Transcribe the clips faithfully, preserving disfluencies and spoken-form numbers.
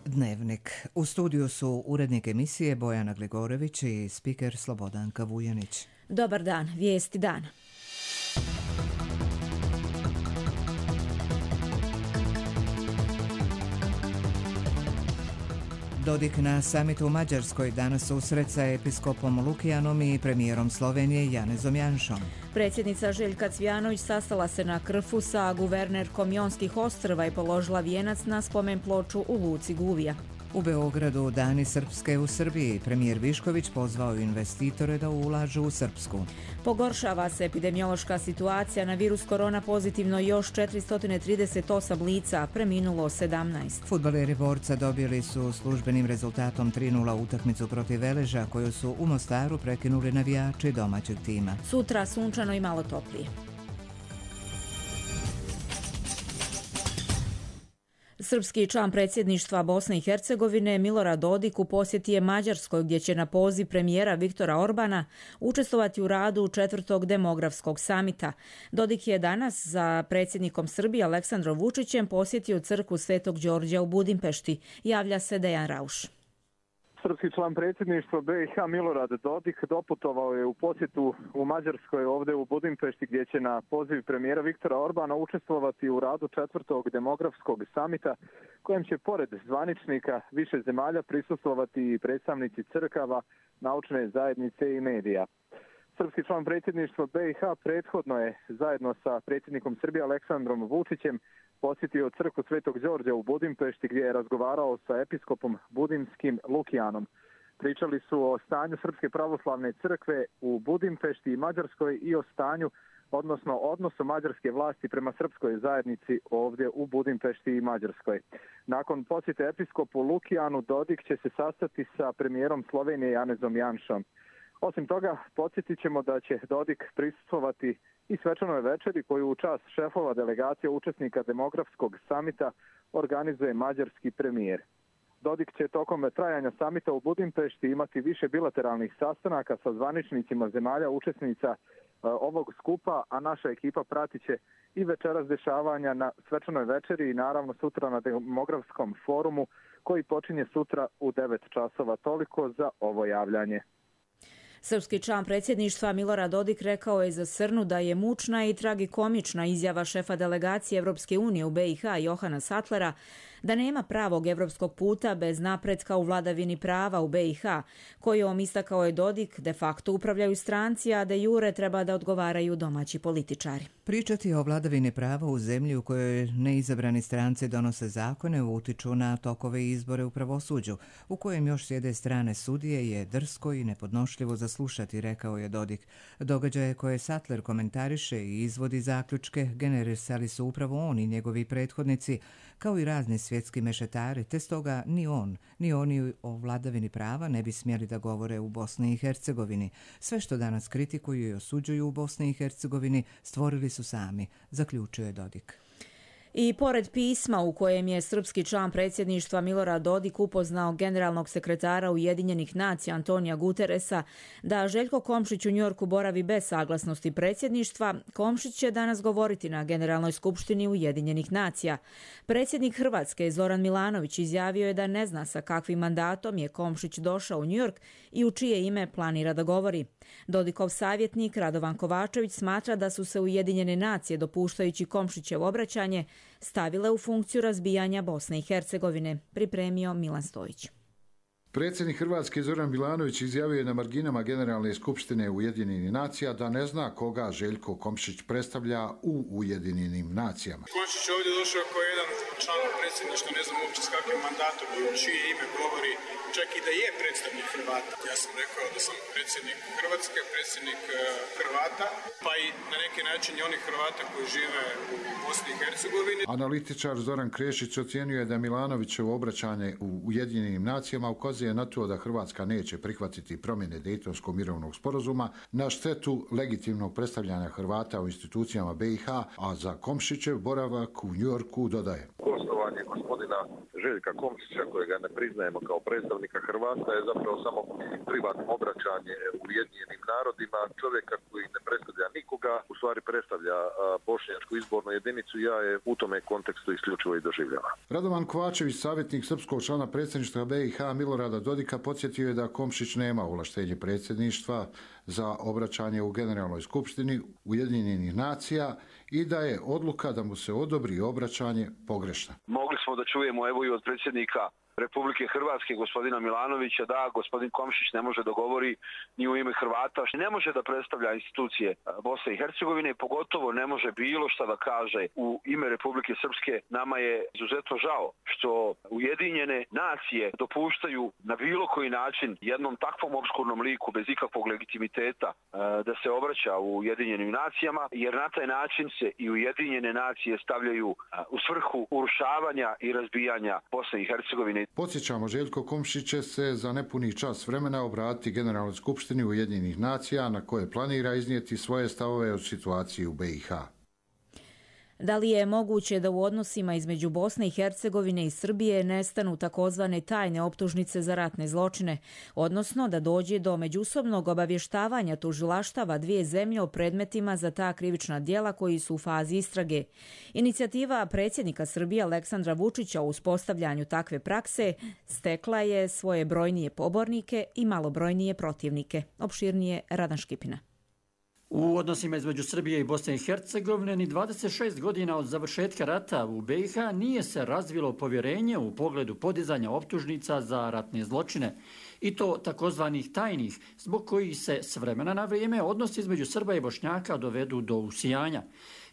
Dnevnik. U studiju su urednik emisije Bojana Gligorević i spiker Slobodanka Vujanić. Dobar dan, vijesti dana. Dodik na samitu u Mađarskoj danas susret sa episkopom Lukijanom i premijerom Slovenije Janezom Janšom. Predsjednica Željka Cvijanović sastala se na Krfu sa guvernerkom Jonskih ostrva i položila vijenac na spomen ploču u luci Guvija. U Beogradu Dani Srpske u Srbiji. Premijer Višković pozvao investitore da ulažu u Srpsku. Pogoršava se epidemiološka situacija, na virus korona pozitivno još četiristo trideset osam lica, preminulo sedamnaest. Fudbaleri Borca dobili su službenim rezultatom tri nula utakmicu protiv Veleža, koju su u Mostaru prekinuli navijači domaćeg tima. Sutra sunčano i malo toplije. Srpski član predsjedništva Bosne i Hercegovine Milorad Dodik u posjeti je Mađarskoj, gdje će na poziv premijera Viktora Orbana učestvovati u radu četvrtog demografskog samita. Dodik je danas za predsjednikom Srbije Aleksandrom Vučićem posjetio crkvu Svetog Đorđa u Budimpešti, javlja se Dejan Rauš. Srpski član predsjedništva B i H Milorad Dodik doputovao je u posjetu u Mađarskoj ovdje u Budimpešti, gdje će na poziv premijera Viktora Orbana učestvovati u radu četvrtog demografskog samita, kojem će pored zvaničnika više zemalja prisustvovati i predstavnici crkava, naučne zajednice i medija. Srpski član predsjedništva B i H prethodno je zajedno sa predsjednikom Srbije Aleksandrom Vučićem posjetio crkvu Svetog Đorđa u Budimpešti, gdje je razgovarao sa episkopom budimskim Lukijanom. Pričali su o stanju Srpske pravoslavne crkve u Budimpešti i Mađarskoj i o stanju, odnosno odnosu mađarske vlasti prema srpskoj zajednici ovdje u Budimpešti i Mađarskoj. Nakon posjete episkopu Lukijanu, Dodik će se sastati sa premijerom Slovenije Janezom Janšom. Osim toga, podsjetit ćemo da će Dodik prisustvovati i svečanoj večeri koju u čast šefova delegacija učesnika demografskog samita organizuje mađarski premijer. Dodik će tokom trajanja samita u Budimpešti imati više bilateralnih sastanaka sa zvaničnicima zemalja učesnica ovog skupa, a naša ekipa pratit će i večeras dešavanja na svečanoj večeri i naravno sutra na demografskom forumu koji počinje sutra u devet časova. Toliko za ovo javljanje. Srpski član predsjedništva Milorad Dodik rekao je za Srnu da je mučna i tragikomična izjava šefa delegacije Evropske unije u B i H Johana Sattlera da nema pravog evropskog puta bez napretka u vladavini prava u B i H, kojom, istakao je Dodik, de facto upravljaju stranci, a de jure treba da odgovaraju domaći političari. Pričati o vladavini prava u zemlji u kojoj neizabrani stranci donose zakone utiču na tokove izbore u pravosuđu, u kojem još s jedne strane sudije je drsko i nepodnošljivo za slušati, rekao je Dodik. Događaje koje Sattler komentariše i izvodi zaključke generisali su upravo on i njegovi prethodnici, kao i razni svjetski mešetari, te stoga ni on, ni oni o vladavini prava ne bi smjeli da govore u Bosni i Hercegovini. Sve što danas kritikuju i osuđuju u Bosni i Hercegovini stvorili su sami, zaključio je Dodik. I pored pisma u kojem je srpski član predsjedništva Milorad Dodik upoznao generalnog sekretara Ujedinjenih nacija Antonija Guteresa da Željko Komšić u Njujorku boravi bez saglasnosti predsjedništva, Komšić će danas govoriti na Generalnoj skupštini Ujedinjenih nacija. Predsjednik Hrvatske Zoran Milanović izjavio je da ne zna sa kakvim mandatom je Komšić došao u Njujork i u čije ime planira da govori. Dodikov savjetnik Radovan Kovačević smatra da su se Ujedinjene nacije, dopuštajući Komšićevo obraćanje, stavile u funkciju razbijanja Bosne i Hercegovine, pripremio Milan Stojić. Predsjednik Hrvatske Zoran Milanović izjavio je na marginama Generalne skupštine Ujedinjenih nacija da ne zna koga Željko Komšić predstavlja u Ujedinjenim nacijama. Komšić je ovdje došao kao jedan član predsjedništva, ne znam uopće s kakvim mandatom i u čije ime govori, čak i da je predstavnik Hrvata. Ja sam rekao da sam predsjednik Hrvatske, predsjednik Hrvata, pa i na neki način i onih Hrvata koji žive u Bosni i Hercegovini. Analitičar Zoran Krešić ocijenio je da Milanovićevo obraćanje u Ujedinjenim nacijama ukazuje na to da Hrvatska neće prihvatiti promjene Dejtonskog mirovnog sporazuma na štetu legitimnog predstavljanja Hrvata u institucijama B i H, a za Komšićev boravak u Njujorku dodaje. Gostovanje gospodina gospodina Željka Komšića, kojega ne priznajemo kao predstavnika Hrvata, je zapravo samo privatno obraćanje Ujedinjenim narodima, čovjeka koji ne predstavlja nikoga, u stvari predstavlja bošnjačku izbornu jedinicu. Ja je u tome kontekstu isključivo i doživljava. Radovan Kovačević, savjetnik srpskog člana predsjedništva B i H Milorada Dodika, podsjetio je da Komšić nema ovlaštenje predsjedništva za obraćanje u Generalnoj skupštini Ujedinjenih nacija i da je odluka da mu se odobri obraćanje pogrešna. Mogli smo da čujemo evo i od predsjednika Republike Hrvatske, gospodina Milanovića, da gospodin Komšić ne može da govori ni u ime Hrvata, ne može da predstavlja institucije Bosne i Hercegovine, pogotovo ne može bilo šta da kaže u ime Republike Srpske. Nama je izuzetno žao što Ujedinjene nacije dopuštaju na bilo koji način jednom takvom opskurnom liku bez ikakvog legitimiteta da se obraća u Ujedinjenim nacijama, jer na taj način se i Ujedinjene nacije stavljaju u svrhu urušavanja i razbijanja Bosne i Hercegovine. Podsjećamo, Željko Komšić će se za nepuni čas vremena obratiti Generalnoj skupštini Ujedinjenih nacija na koje planira iznijeti svoje stavove o situaciji u B i H. Da li je moguće da u odnosima između Bosne i Hercegovine i Srbije nestanu takozvane tajne optužnice za ratne zločine, odnosno da dođe do međusobnog obavještavanja tužilaštava dvije zemlje o predmetima za ta krivična djela koji su u fazi istrage? Inicijativa predsjednika Srbije Aleksandra Vučića u uspostavljanju takve prakse stekla je svoje brojnije pobornike i malobrojnije protivnike. Opširnije Radan Škipina. U odnosima između Srbije i Bosne i Hercegovine ni dvadeset šest godina od završetka rata u B i H nije se razvilo povjerenje u pogledu podizanja optužnica za ratne zločine, i to takozvanih tajnih, zbog kojih se s vremena na vrijeme odnosi između Srba i Bošnjaka dovedu do usijanja.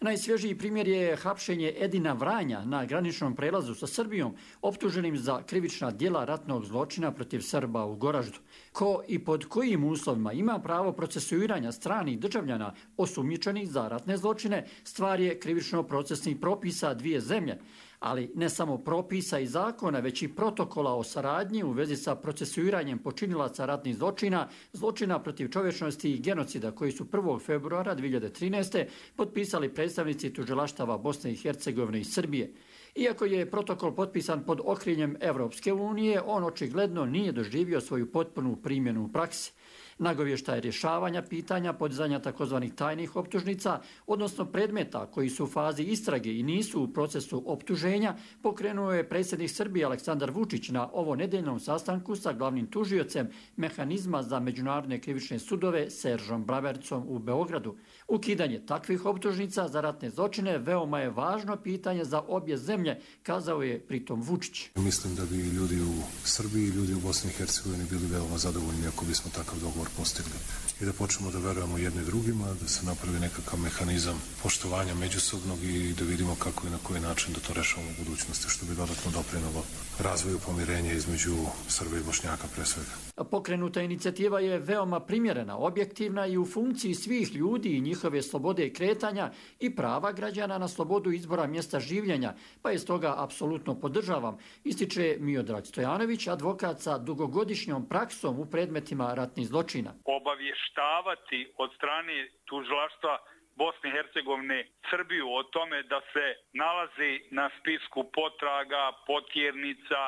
Najsvježiji primjer je hapšenje Edina Vranja na graničnom prelazu sa Srbijom, optuženim za krivična djela ratnog zločina protiv Srba u Goraždu. Ko i pod kojim uslovima ima pravo procesuiranja stranih državljana osumnjičenih za ratne zločine, stvar je krivično-procesnih propisa dvije zemlje, ali ne samo propisa i zakona, već i protokola o saradnji u vezi sa procesuiranjem počinilaca ratnih zločina, zločina protiv čovječnosti i genocida koji su prvog februara dvije hiljade trinaeste. potpisali predstavnici tužilaštava Bosne i Hercegovine i Srbije. Iako je protokol potpisan pod okriljem Evropske unije, on očigledno nije doživio svoju potpunu primjenu u praksi. Nagovještaj rješavanja pitanja podizanja takozvanih tajnih optužnica, odnosno predmeta koji su u fazi istrage i nisu u procesu optuženja, pokrenuo je predsjednik Srbije Aleksandar Vučić na ovo nedeljnom sastanku sa glavnim tužiocem Mehanizma za međunarodne krivične sudove Seržom Bravercom u Beogradu. Ukidanje takvih optužnica za ratne zločine veoma je važno pitanje za obje zemlje, kazao je pritom Vučić. Mislim da bi ljudi u Srbiji i ljudi u Bosni i Hercegovini bili veoma zadovoljni ako bismo takav dogovor postigli i da počnemo da verujemo jedni drugima, da se napravi nekakav mehanizam poštovanja međusobnog i da vidimo kako i na koji način da to rešavamo u budućnosti, što bi dodatno doprinelo razvoju pomirenja između Srba i Bošnjaka pre svega. Pokrenuta inicijativa je veoma primjerena, objektivna i u funkciji svih ljudi i njihove slobode kretanja i prava građana na slobodu izbora mjesta življenja, pa je stoga apsolutno podržavam, ističe Miodrag Stojanović, advokat sa dugogodišnjom praksom u predmetima ratnih zločina. Obavještavati od strane tužilaštva Bosne i Hercegovine Srbiju o tome da se nalazi na spisku potraga, potjernica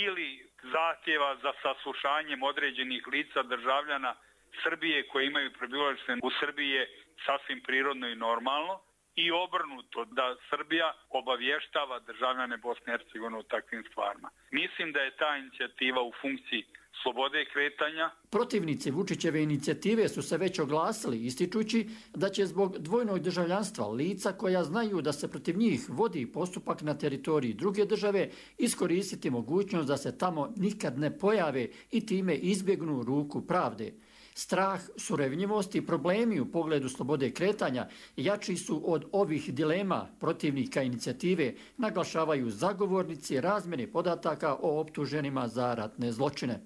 ili zahtjeva za saslušanjem određenih lica državljana Srbije koji imaju prebivalište u Srbiji je sasvim prirodno i normalno, i obrnuto da Srbija obavještava državljane Bosne i Hercegovine o takvim stvarima. Mislim da je ta inicijativa u funkciji slobode kretanja. Protivnici Vučićeve inicijative su se već oglasili, ističući da će zbog dvojnog državljanstva lica koja znaju da se protiv njih vodi postupak na teritoriji druge države iskoristiti mogućnost da se tamo nikad ne pojave i time izbjegnu ruku pravde. Strah, surevnjivost i problemi u pogledu slobode kretanja jači su od ovih dilema protivnika inicijative, naglašavaju zagovornici razmjene podataka o optuženima za ratne zločine.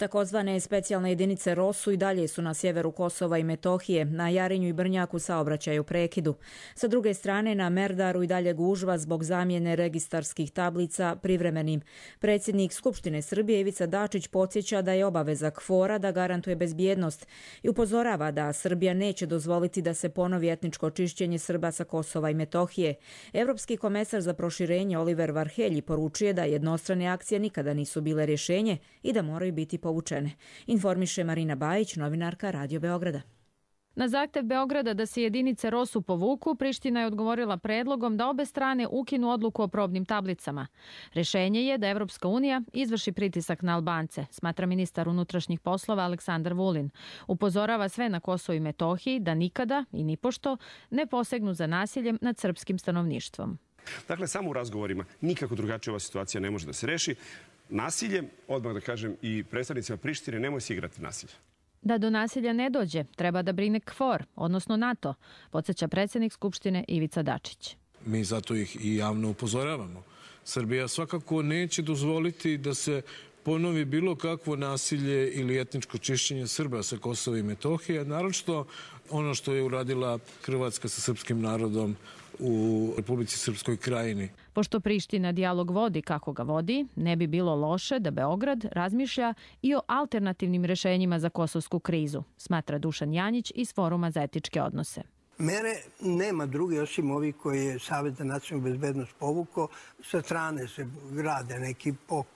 Takozvane specijalne jedinice ROSU i dalje su na sjeveru Kosova i Metohije, na Jarinju i Brnjaku saobraćaj u prekidu. Sa druge strane, na Merdaru i dalje gužva zbog zamjene registarskih tablica privremenim. Predsjednik Skupštine Srbije Ivica Dačić podsjeća da je obaveza K F O R-a da garantuje bezbjednost i upozorava da Srbija neće dozvoliti da se ponovi etničko čišćenje Srba sa Kosova i Metohije. Evropski komesar za proširenje Oliver Varhelji poručuje da jednostrane akcije nikada nisu bile rješenje i da moraju biti povučene. Informiše Marina Bajić, novinarka Radio Beograda. Na zahtev Beograda da se jedinice ROSU povuku, Priština je odgovorila predlogom da obe strane ukinu odluku o probnim tablicama. Rješenje je da Evropska unija izvrši pritisak na Albance, smatra ministar unutrašnjih poslova Aleksandar Vulin. Upozorava sve na Kosovu i Metohiji da nikada i nipošto ne posegnu za nasiljem nad srpskim stanovništvom. Dakle, samo u razgovorima nikako drugačije ova situacija ne može da se reši. Nasiljem, odmah da kažem i predstavnicima Prištine, nemoj se igrati nasilje. Da do nasilja ne dođe, treba da brine K F O R, odnosno NATO, podsjeća predsjednik Skupštine Ivica Dačić. Mi zato ih i javno upozoravamo. Srbija svakako neće dozvoliti da se ponovi bilo kakvo nasilje ili etničko čišćenje Srba sa Kosova i Metohije, naročito ono što je uradila Hrvatska sa srpskim narodom u Republici Srpskoj Krajini. Pošto Priština dijalog vodi kako ga vodi, ne bi bilo loše da Beograd razmišlja i o alternativnim rješenjima za kosovsku krizu, smatra Dušan Janjić iz Foruma za etičke odnose. Mere nema druge osim ovih koje je Savet za nacionalnu bezbednost povukao. Sa strane se grade neki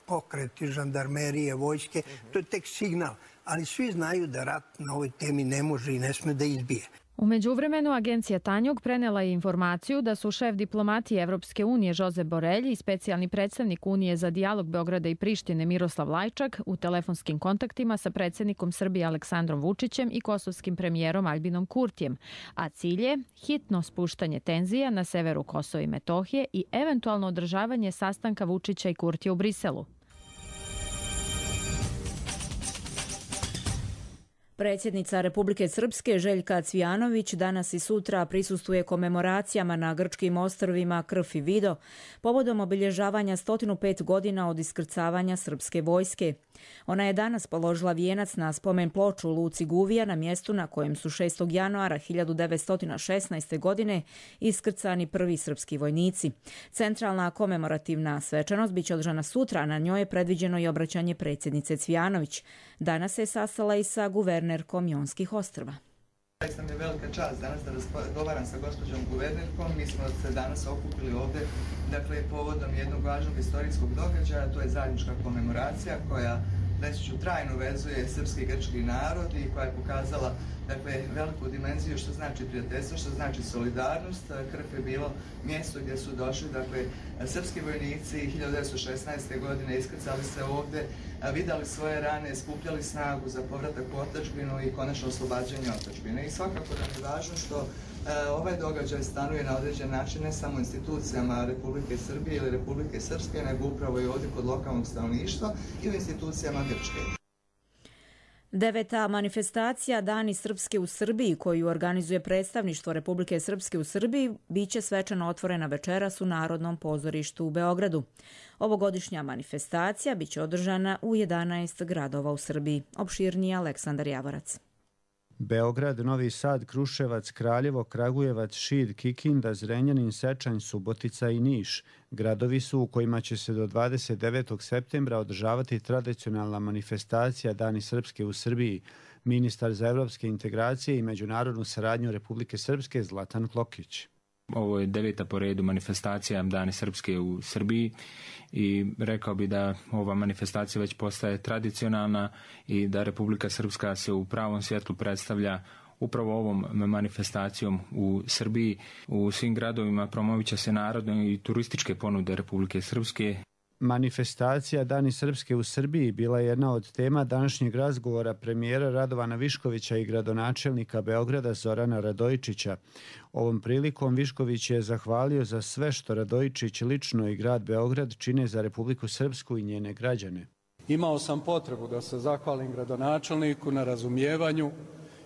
pokreti, žandarmerije, vojske. To je tek signal. Ali svi znaju da rat na ovoj temi ne može i ne sme da izbije. U međuvremenu, agencija Tanjug prenela je informaciju da su šef diplomatije Evropske unije Josep Borrell i specijalni predstavnik Unije za dijalog Beograda i Prištine Miroslav Lajčak u telefonskim kontaktima sa predsjednikom Srbije Aleksandrom Vučićem i kosovskim premijerom Albinom Kurtijem, a cilj je hitno spuštanje tenzija na severu Kosova i Metohije i eventualno održavanje sastanka Vučića i Kurtija u Briselu. Predsjednica Republike Srpske Željka Cvijanović danas i sutra prisustvuje komemoracijama na grčkim ostrvima Krf i Vido povodom obilježavanja sto pet godina od iskrcavanja srpske vojske. Ona je danas položila vijenac na spomen ploču u luci Guvija na mjestu na kojem su šestog januara hiljadu devetsto šesnaeste. godine iskrcani prvi srpski vojnici. Centralna komemorativna svečanost biće održana sutra, a na njoj je predviđeno i obraćanje predsjednice Cvijanović. Danas se sastala i sa guvernerkom Jonskih ostrva. Zaista mi je velika čast danas da razgovaram sa gospođom guvernerkom. Mi smo se danas okupili ovdje, dakle, povodom jednog važnog istorijskog događaja, to je zajednička komemoracija koja, reći ću, trajno vezuje srpski i grčki narod i koja je pokazala, dakle, veliku dimenziju što znači prijateljstvo, što znači solidarnost. Krf je bilo mjesto gdje su došli, dakle, srpski vojnici hiljadu devetsto šesnaeste. godine iskrcali se ovdje, vidjeli svoje rane, skupljali snagu za povratak u otadžbinu i konačno oslobađanje otadžbine. I svakako da je važno što ovaj događaj stanuje na određen način ne samo institucijama Republike Srbije ili Republike Srpske, nego upravo i ovdje kod lokalnog stanovništva i u institucijama Grčke. Deveta manifestacija Dani Srpske u Srbiji, koju organizuje predstavništvo Republike Srpske u Srbiji, biće svečano otvorena večeras u Narodnom pozorištu u Beogradu. Ovogodišnja manifestacija biće održana u jedanaest gradova u Srbiji. Opširniji Aleksandar Javorac. Beograd, Novi Sad, Kruševac, Kraljevo, Kragujevac, Šid, Kikinda, Zrenjanin, Sečanj, Subotica i Niš. Gradovi su u kojima će se do dvadeset devetog septembra održavati tradicionalna manifestacija Dani Srpske u Srbiji. Ministar za evropske integracije i međunarodnu saradnju Republike Srpske Zlatan Klokić. Ovo je deveta po redu manifestacija Dani Srpske u Srbiji i rekao bi da ova manifestacija već postaje tradicionalna i da Republika Srpska se u pravom svjetlu predstavlja upravo ovom manifestacijom u Srbiji. U svim gradovima promovit će se narodne i turističke ponude Republike Srpske. Manifestacija Dani Srpske u Srbiji bila je jedna od tema današnjeg razgovora premijera Radovana Viškovića i gradonačelnika Beograda Zorana Radojičića. Ovom prilikom Višković je zahvalio za sve što Radojičić lično i grad Beograd čine za Republiku Srpsku i njene građane. Imao sam potrebu da se zahvalim gradonačelniku na razumijevanju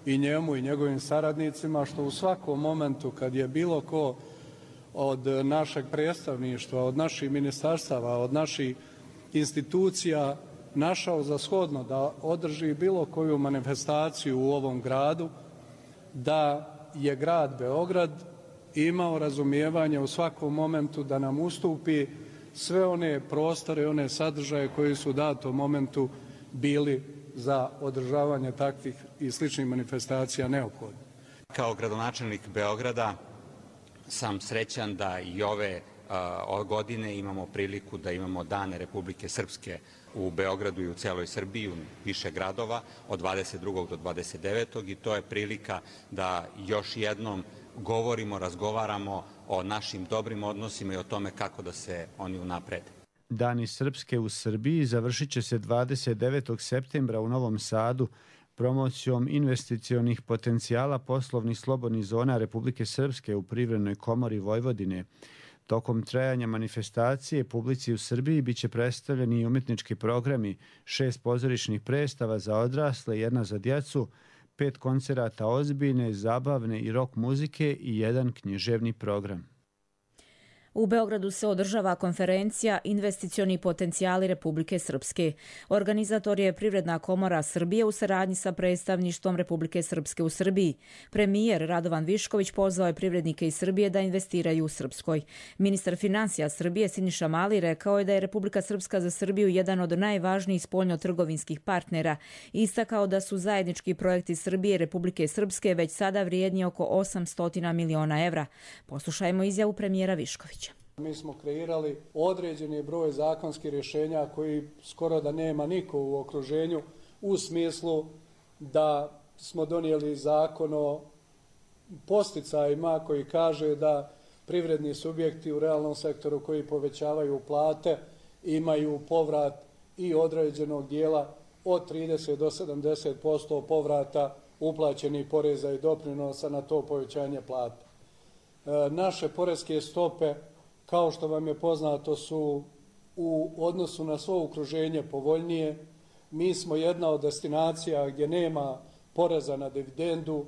i njemu i njegovim saradnicima što u svakom momentu kad je bilo ko od našeg predstavništva, od naših ministarstava, od naših institucija našao za shodno da održi bilo koju manifestaciju u ovom gradu, da je grad Beograd imao razumijevanje u svakom momentu da nam ustupi sve one prostore, one sadržaje koji su u datom momentu bili za održavanje takvih i sličnih manifestacija neophodni. Kao gradonačelnik Beograda sam srećan da i ove uh, godine imamo priliku da imamo Dane Republike Srpske u Beogradu i u celoj Srbiji, u više gradova, od dvadeset drugog do dvadeset devetog i to je prilika da još jednom govorimo, razgovaramo o našim dobrim odnosima i o tome kako da se oni unaprede. Dani Srpske u Srbiji završit će se dvadeset devetog septembra u Novom Sadu promocijom investicionih potencijala poslovnih slobodnih zona Republike Srpske u Privrednoj komori Vojvodine. Tokom trajanja manifestacije publici u Srbiji biće predstavljeni i umjetnički programi, šest pozorišnih predstava za odrasle, jedna za djecu, pet koncerata ozbiljne, zabavne i rock muzike i jedan književni program. U Beogradu se održava konferencija Investicioni potencijali Republike Srpske. Organizator je Privredna komora Srbije u saradnji sa predstavništvom Republike Srpske u Srbiji. Premijer Radovan Višković pozvao je privrednike iz Srbije da investiraju u Srpskoj. Ministar financija Srbije Siniša Mali rekao je da je Republika Srpska za Srbiju jedan od najvažnijih spoljnotrgovinskih partnera i istakao da su zajednički projekti Srbije i Republike Srpske već sada vrijedni oko osamsto miliona evra. Poslušajmo izjavu premijera Viškovića. Mi smo kreirali određeni broj zakonskih rješenja koji skoro da nema niko u okruženju u smislu da smo donijeli zakon o posticajima koji kaže da privredni subjekti u realnom sektoru koji povećavaju plate imaju povrat i određenog dijela od trideset do sedamdeset posto povrata uplaćenih poreza i doprinosa na to povećanje plata. E, naše poreske stope, kao što vam je poznato, su u odnosu na svo okruženje povoljnije. Mi smo jedna od destinacija gdje nema poreza na dividendu.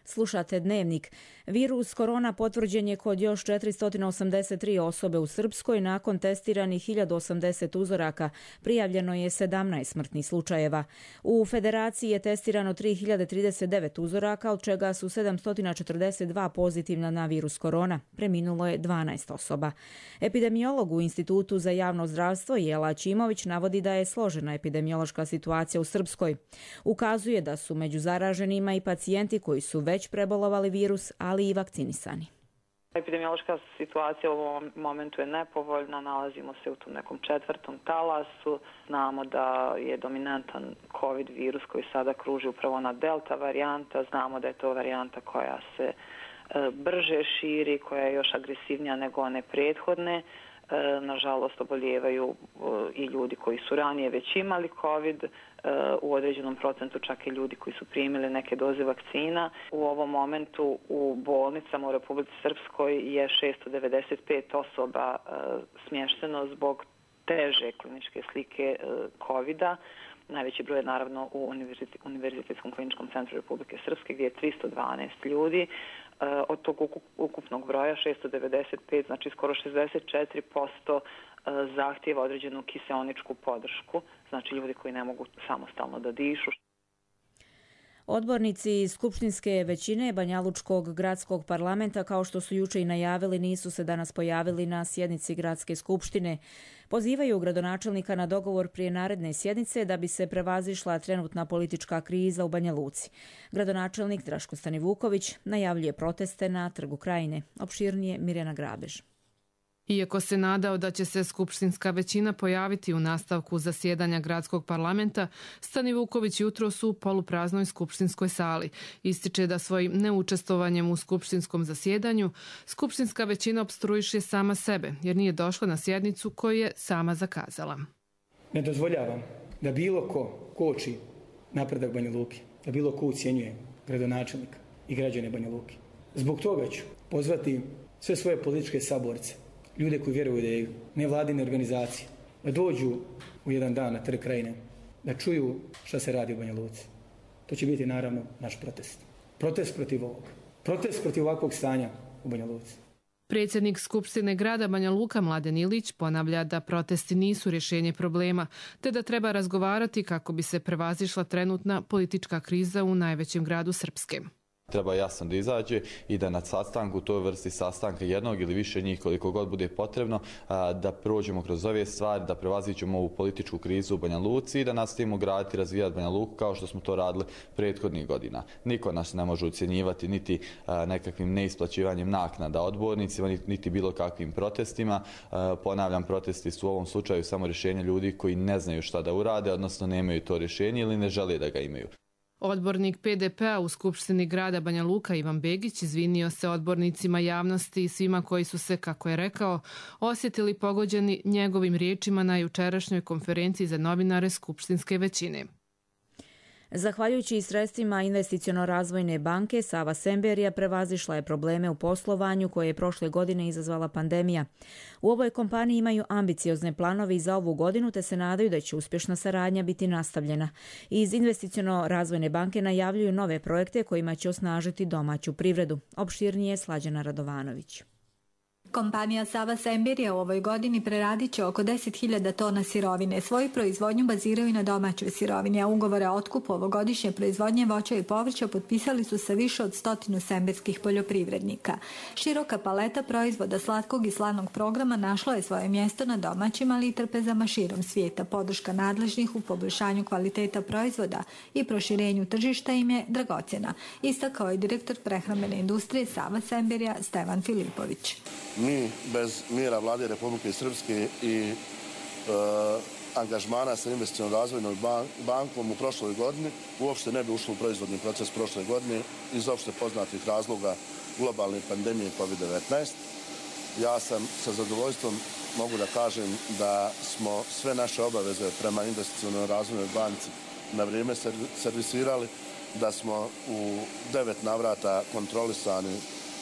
Slušate Dnevnik. Virus korona potvrđen je kod još četiristo osamdeset tri osobe u Srpskoj. Nakon testiranih hiljadu osamdeset uzoraka prijavljeno je sedamnaest smrtnih slučajeva. U Federaciji je testirano tri hiljade trideset devet uzoraka, od čega su sedamsto četrdeset dva pozitivna na virus korona. Preminulo je dvanaest osoba. Epidemiolog u Institutu za javno zdravstvo Jela Ćimović navodi da je složena epidemiološka situacija u Srpskoj. Ukazuje da su među zaraženima i pacijenti koji su već prebolovali virus, ali i vakcinisani. Epidemiološka situacija u ovom momentu je nepovoljna, nalazimo se u tom nekom četvrtom talasu. Znamo da je dominantan COVID virus koji sada kruži upravo na delta varijanta. Znamo da je to varijanta koja se brže širi, koja je još agresivnija nego one prethodne. Nažalost, oboljevaju i ljudi koji su ranije već imali COVID, u određenom procentu čak i ljudi koji su primili neke doze vakcina. U ovom momentu u bolnicama u Republici Srpskoj je šesto devedeset pet osoba smješteno zbog teže kliničke slike COVID-a. Najveći broj je naravno u Univerzitetskom kliničkom centru Republike Srpske gdje je tristo dvanaest ljudi. Od tog ukupnog broja šesto devedeset pet, znači skoro šezdeset četiri posto zahtjeva određenu kiseoničku podršku, znači ljudi koji ne mogu samostalno da dišu. Odbornici skupštinske većine Banjalučkog gradskog parlamenta, kao što su juče i najavili, nisu se danas pojavili na sjednici gradske skupštine. Pozivaju gradonačelnika na dogovor prije naredne sjednice da bi se prevazišla trenutna politička kriza u Banja Luci. Gradonačelnik Draško Stanivuković najavljuje proteste na Trgu Krajine. Opširnije Mirjana Grabež. Iako se nadao da će se skupštinska većina pojaviti u nastavku zasjedanja gradskog parlamenta, Stanivuković jutros u polupraznoj skupštinskoj sali ističe da svojim neučestvovanjem u skupštinskom zasjedanju skupštinska većina opstruiše sama sebe jer nije došla na sjednicu koju je sama zakazala. Ne dozvoljavam da bilo ko koči napredak Banja Luke, da bilo ko ucijenjuje gradonačelnika i građane Banja Luke. Zbog toga ću pozvati sve svoje političke saborce, ljude koji vjeruju u ideju, nevladine organizacije, da dođu u jedan dan na Trg Krajine, da čuju šta se radi u Banja Luci. To će biti naravno naš protest. Protest protiv ovog. Protest protiv ovakvog stanja u Banja Luci. Predsjednik Skupštine grada Banja Luka Mladen Ilić ponavlja da protesti nisu rješenje problema, te da treba razgovarati kako bi se prevazišla trenutna politička kriza u najvećem gradu Srpske. Treba jasno da izađe i da na sastanku, toj vrsti sastanka jednog ili više njih koliko god bude potrebno, da prođemo kroz ove stvari, da prevaziđemo ovu političku krizu u Banja Luci i da nastavimo graditi i razvijati Banja Luku kao što smo to radili prethodnih godina. Niko nas ne može ucjenjivati niti nekakvim neisplaćivanjem naknada odbornicima, niti bilo kakvim protestima. Ponavljam, protesti su u ovom slučaju samo rješenje ljudi koji ne znaju šta da urade, odnosno nemaju to rješenje ili ne žele da ga imaju. Odbornik P D P-a u Skupštini grada Banja Luka Ivan Begić izvinio se odbornicima, javnosti i svima koji su se, kako je rekao, osjetili pogođeni njegovim riječima na jučerašnjoj konferenciji za novinare skupštinske većine. Zahvaljujući sredstvima Investiciono-razvojne banke, Sava Semberija prevazišla je probleme u poslovanju koje je prošle godine izazvala pandemija. U ovoj kompaniji imaju ambiciozne planove i za ovu godinu, te se nadaju da će uspješna saradnja biti nastavljena. Iz Investiciono-razvojne banke najavljuju nove projekte kojima će osnažiti domaću privredu. Opširnije Slađana Radovanović. Kompanija Sava Semberija u ovoj godini preradit će oko deset hiljada tona sirovine. Svoju proizvodnju baziraju na domaćoj sirovini, a ugovore o otkupu ovogodišnje proizvodnje voća i povrća potpisali su sa više od stotinu semberskih poljoprivrednika. Široka paleta proizvoda slatkog i slanog programa našla je svoje mjesto na domaćim, ali i trpezama širom svijeta. Podrška nadležnih u poboljšanju kvaliteta proizvoda i proširenju tržišta im je dragocjena, istakao je direktor prehrambene industrije Sava Semberija Stevan Filipović. Mi bez mjera vlade Republike Srpske i e, angažmana sa Investicionom razvojnom bankom u prošloj godini uopšte ne bi ušli u proizvodni proces prošle godine iz opšte poznatih razloga globalne pandemije kovid devetnaest. Ja sam sa zadovoljstvom mogu da kažem da smo sve naše obaveze prema Investicionoj razvojnoj banci na vrijeme servisirali, da smo u devet navrata kontrolisani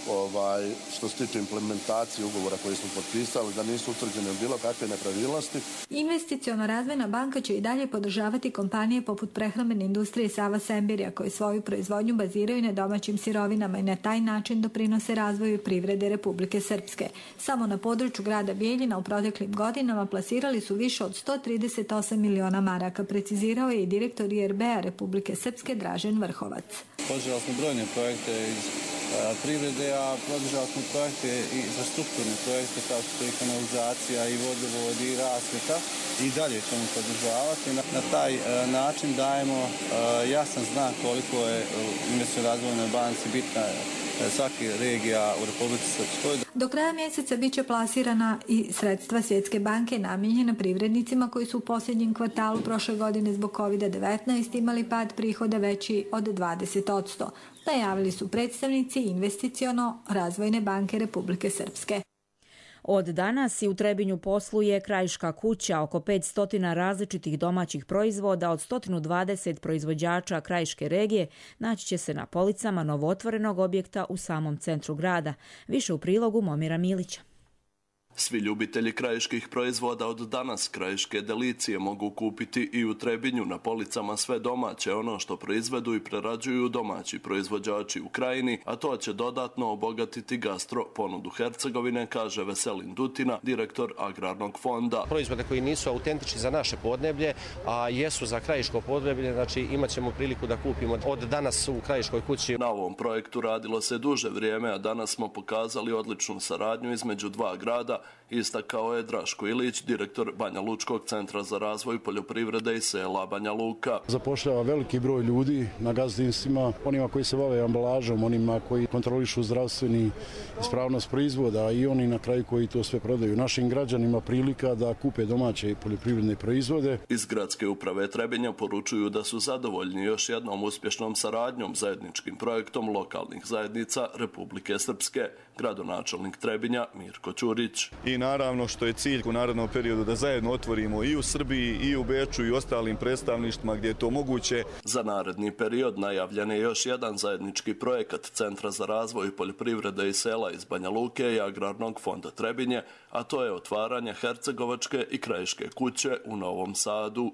Ovaj, što se tiče implementacije ugovora koji smo potpisali, da nisu utvrđene bilo kakve nepravilnosti. Investiciono-razvojna banka će i dalje podržavati kompanije poput prehrambene industrije Sava Semberija koje svoju proizvodnju baziraju na domaćim sirovinama i na taj način doprinose razvoju privrede Republike Srpske. Samo na području grada Bijeljina u proteklim godinama plasirali su više od sto trideset osam miliona maraka, precizirao je i direktor I R B-a Republike Srpske Dražen Vrhovac. Podržali smo brojne projekte iz privrede, a podržali smo projekte i infrastrukturne projekte kao što je i kanalizacija i vodovod i rasvjeta i dalje ćemo podržavati. Na, na taj uh, način dajemo uh, jasan znak koliko je Investicionoj razvojnoj banci bitna uh, svaki regija u Republici Srpskoj. Do kraja mjeseca bit će plasirana i sredstva Svjetske banke namijenjena privrednicima koji su u posljednjem kvartalu prošle godine zbog kovid devetnaest imali pad prihoda veći od dvadeset posto. Najavili su predstavnici Investiciono-razvojne banke Republike Srpske. Od danas i u Trebinju posluje Krajiška kuća, oko petsto različitih domaćih proizvoda od sto dvadeset proizvođača Krajiške regije naći će se na policama novootvorenog objekta u samom centru grada. Više u prilogu Momira Milića. Svi ljubitelji krajiških proizvoda od danas krajiške delicije mogu kupiti i u Trebinju na policama sve domaće, ono što proizvedu i prerađuju domaći proizvođači u krajini, a to će dodatno obogatiti gastro ponudu Hercegovine, kaže Veselin Dutina, direktor Agrarnog fonda. Proizvode koji nisu autentični za naše podneblje, a jesu za krajiško podneblje, znači imat ćemo priliku da kupimo od danas u Krajiškoj kući. Na ovom projektu radilo se duže vrijeme, a danas smo pokazali odličnu saradnju između dva grada, istakao je Draško Ilić, direktor Banja Lučkog centra za razvoj poljoprivrede i sela Banja Luka. Zapošljava veliki broj ljudi na gazdinstvima, onima koji se bave ambalažom, onima koji kontrolišu zdravstveni ispravnost proizvoda i oni na kraju koji to sve prodaju. Našim građanima prilika da kupe domaće poljoprivredne proizvode. Iz gradske uprave Trebinja poručuju da su zadovoljni još jednom uspješnom saradnjom zajedničkim projektom lokalnih zajednica Republike Srpske. Gradonačelnik Trebinja Mirko Ćurić. I naravno što je cilj u narednom periodu da zajedno otvorimo i u Srbiji i u Beču i ostalim predstavništvima gdje je to moguće. Za naredni period najavljen je još jedan zajednički projekat Centra za razvoj poljoprivrede i sela iz Banja Luke i Agrarnog fonda Trebinje, a to je otvaranje Hercegovačke i Krajiške kuće u Novom Sadu.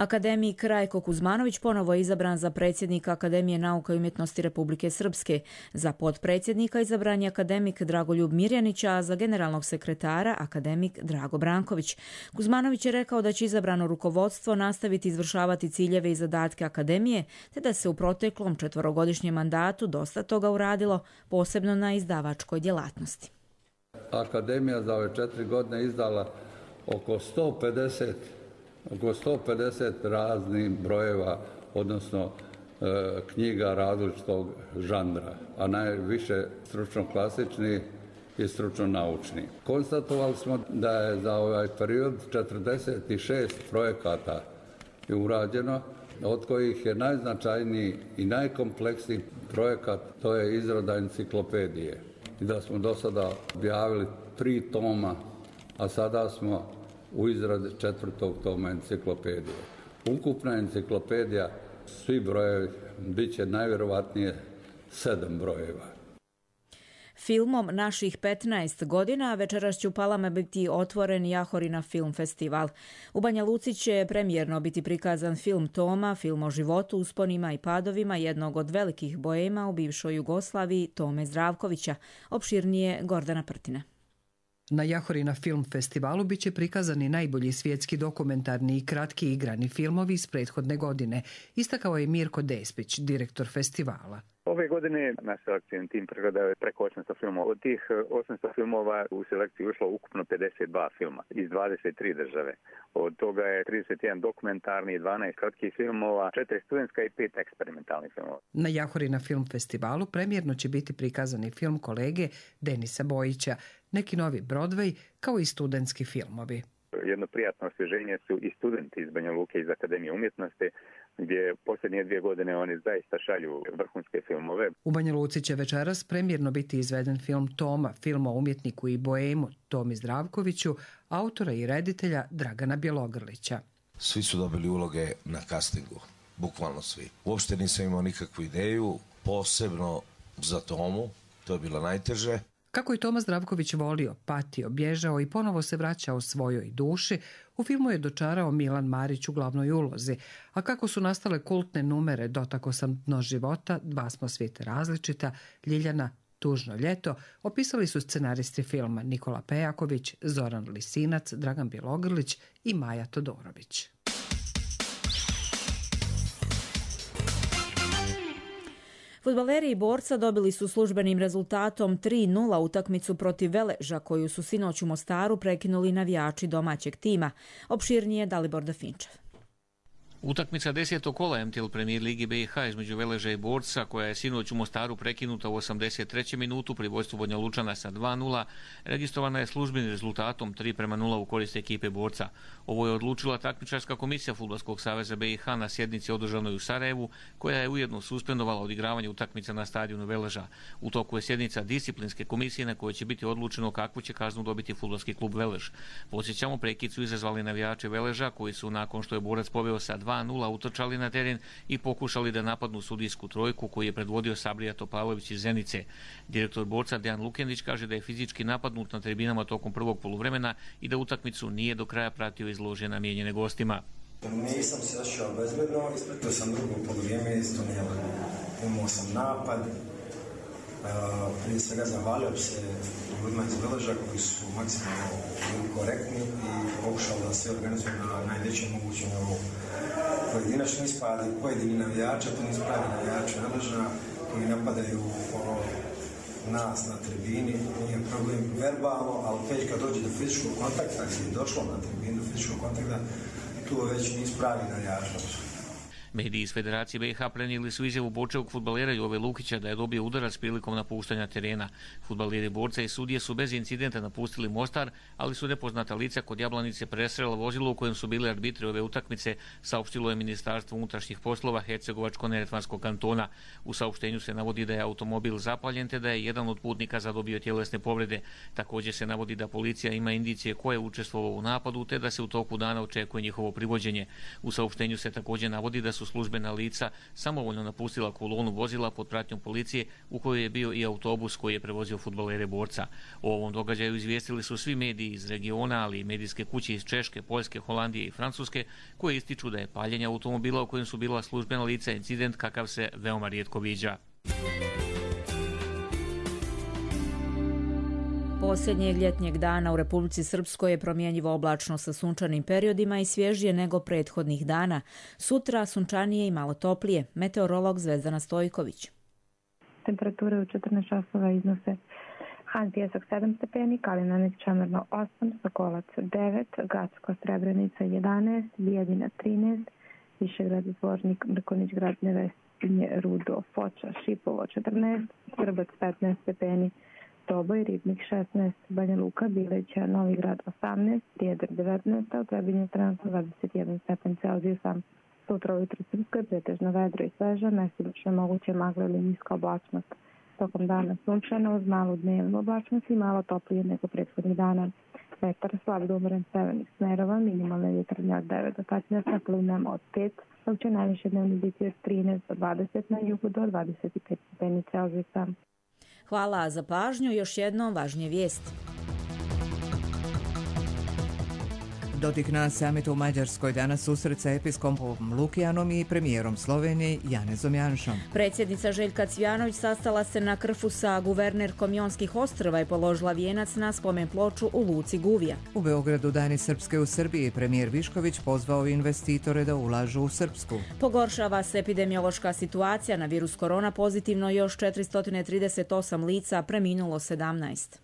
Akademik Rajko Kuzmanović ponovo je izabran za predsjednika Akademije nauka i umjetnosti Republike Srpske. Za potpredsjednika izabran je akademik Dragoljub Mirjanić, a za generalnog sekretara akademik Drago Branković. Kuzmanović je rekao da će izabrano rukovodstvo nastaviti izvršavati ciljeve i zadatke akademije, te da se u proteklom četvorogodišnjem mandatu dosta toga uradilo, posebno na izdavačkoj djelatnosti. Akademija za ove četiri godine izdala oko sto pedeset oko sto pedeset raznih brojeva, odnosno e, knjiga različitog žanra, a najviše stručno klasični i stručno naučni. Konstatovali smo da je za ovaj period četrdeset šest projekata je urađeno, od kojih je najznačajniji i najkompleksniji projekat, to je izrada enciklopedije. I da smo do sada objavili tri toma, a sada smo u izradi četvrtog toma enciklopedije. Ukupna enciklopedija, svi brojevi, bit će najvjerovatnije sedam brojeva. Filmom Naših petnaest godina večeras će u Palama biti otvoren Jahorina film festival. U Banja Luci će premijerno biti prikazan film Toma, film o životu, usponima i padovima jednog od velikih boema u bivšoj Jugoslaviji, Tome Zdravkovića. Opširnije Gordana Prtina. Na Jahorina film festivalu biće prikazani najbolji svjetski dokumentarni i kratki igrani filmovi iz prethodne godine, istakao je Mirko Despić, direktor festivala. Ove godine naš selekcijni tim pregledao je preko osamsto filmova. Od tih osamsto filmova u selekciju ušlo ukupno pedeset dva filma iz dvadeset tri države. Od toga je trideset jedan dokumentarni, dvanaest kratkih filmova, četiri studentska i pet eksperimentalnih filmova. Na Jahorina film festivalu premijerno će biti prikazani film kolege Denisa Bojića, neki novi Broadway, kao i studentski filmovi. Jedno prijatno osvježenje su i studenti iz Banja Luke iz Akademije umjetnosti, gdje posljednje dvije godine oni zaista šalju vrhunske filmove. U Banja Luci će večeras premijerno biti izveden film Toma, film o umjetniku i boemu Tomi Zdravkoviću, autora i reditelja Dragana Bjelogrlića. Svi su dobili uloge na castingu, bukvalno svi. Uopšte nisam imao nikakvu ideju, posebno za Tomu, to je bilo najteže. Kako je Toma Zdravković volio, patio, bježao i ponovo se vraćao svojoj duši, u filmu je dočarao Milan Marić u glavnoj ulozi, a kako su nastale kultne numere Dotako sam dno života, Dva smo svijete različita, Ljiljana, Tužno ljeto, opisali su scenaristi filma Nikola Pejaković, Zoran Lisinac, Dragan Bjelogrlić i Maja Todorović. Fudbaleri i Borca dobili su službenim rezultatom tri nula utakmicu protiv Veleža, koju su sinoć u Mostaru prekinuli navijači domaćeg tima. Opširnije Dalibor Dafinčev. Utakmica desetog kola M T L Premier Ligi B i H između Veleža i Borca, koja je sinoć u Mostaru prekinuta u osamdeset trećoj minutu pri vojstvu Banja Lučana sa dva nula, registrovana je službenim rezultatom tri prema nula u korist ekipe Borca. Ovo je odlučila takmičarska komisija Fudbalskog saveza B i H na sjednici održanoj u Sarajevu, koja je ujedno suspendovala odigravanje utakmica na stadionu Veleža. U toku je sjednica disciplinske komisije na kojoj će biti odlučeno kakvu će kaznu dobiti fudbalski klub Velež. Podsjećamo, prekid su izazvali navijači Veleža, koji su nakon što je Borac poveo sa dva nula utrčali na teren i pokušali da napadnu sudijsku trojku koju je predvodio Sabrija Topalović iz Zenice. Direktor Borca Dejan Lukendić kaže da je fizički napadnut na tribinama tokom prvog poluvremena i da utakmicu nije do kraja pratio iz lože namijenjene gostima. Nisam se osjećao bezbedno, ispratio sam drugo poluvrijeme, isto nije imao sam napad. Prije svega zahvalio se ljudima iz Veleža koji su maksimalno bili korektni i pokušali da se organizuju na najvećem mogućem nivou. Pojedinačni ispadi, pojedini navijača, to nisu pravi navijači Veleža koji napadaju ono, nas na tribini, nije problem verbalno, ali već kad dođe do fizičkog kontakta, gdje je došlo na tribinu do fizičkog kontakta, tu već nisu pravi navijača. Mediji iz Federacije B i H prenijeli su izjavu Borčevog fudbalera Jove Lukića da je dobio udarac prilikom napuštanja terena. Fudbaleri Borca i sudije su bez incidenta napustili Mostar, ali su nepoznata lica kod Jablanice presrela vozilo u kojem su bili arbitri ove utakmice, saopštilo je Ministarstvo unutrašnjih poslova Hercegovačko-neretvanskog kantona. U saopštenju se navodi da je automobil zapaljen te da je jedan od putnika zadobio tjelesne povrede. Također se navodi da policija ima indicije ko je učestvovao u napadu te da se u toku dana očekuje njihovo privođenje. U saopštenju se također navodi da su su službena lica samovoljno napustila kolonu vozila pod pratnjom policije u kojoj je bio i autobus koji je prevozio fudbalere Borca. O ovom događaju izvijestili su svi mediji iz regiona, ali i medijske kuće iz Češke, Poljske, Holandije i Francuske, koje ističu da je paljenje automobila u kojem su bila službena lica incident kakav se veoma rijetko viđa. Posljednjeg ljetnjeg dana u Republici Srpskoj je promjenjivo oblačno sa sunčanim periodima i svježije nego prethodnih dana. Sutra sunčanije i malo toplije. Meteorolog Zvezdana Stojković. Temperature u četrnaest časova iznose Han Pjesak sedam stepeni, Kalinanić Čemerno osam, Sokolac devet, Gacko Srebrenica jedanaest, Bijeljina trinaest, Višegrad Zvornik, Mrkonić Grad Nevestinje, Rudo, Foča, Šipovo četrnaest, Srbac petnaest stepeni, Doboj, Ribnik šesnaest, Banja Luka, Bileća, Novi Grad osamnaest, Rijedar devetnaest, a u Trebinju trenutno dvadeset jedan stepen Celzijusa. Sutra ujutro u Srpskoj pretežno vedro i sveže, mestimično moguće magla ili niska oblačnost. Tokom dana sunčano uz malu dnevnu oblačnost i malo toplije nego prethodnih dana. Vetar slab do umoran severnih smerova, minimalne vjetrnje od devet do petnaest, na plivnama od pet, dok će najviše dnevni biti od trinaest do dvadeset, na jugu do dvadeset pet stepeni Celzijusa. Hvala za pažnju. Još jednom važnije vijesti. Dodik na samitu u Mađarskoj danas susret sa episkopom Lukijanom i premijerom Slovenije Janezom Janšom. Predsjednica Željka Cvijanović sastala se na Krfu sa guvernerkom Jonskih ostrva i položila vijenac na spomen ploču u luci Guvija. U Beogradu Dani Srpske u Srbiji premijer Višković pozvao investitore da ulažu u Srpsku. Pogoršava se epidemiološka situacija, na virus korona pozitivno još četiristo trideset osam lica, preminulo sedamnaest.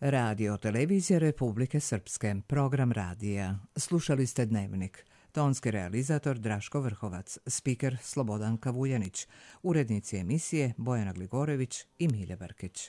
Radio Televizija Republike Srpske, program radija. Slušali ste Dnevnik. Tonski realizator Draško Vrhovac, spiker Slobodan Kavuljanić, urednici emisije Bojana Gligorević i Milja Brkić.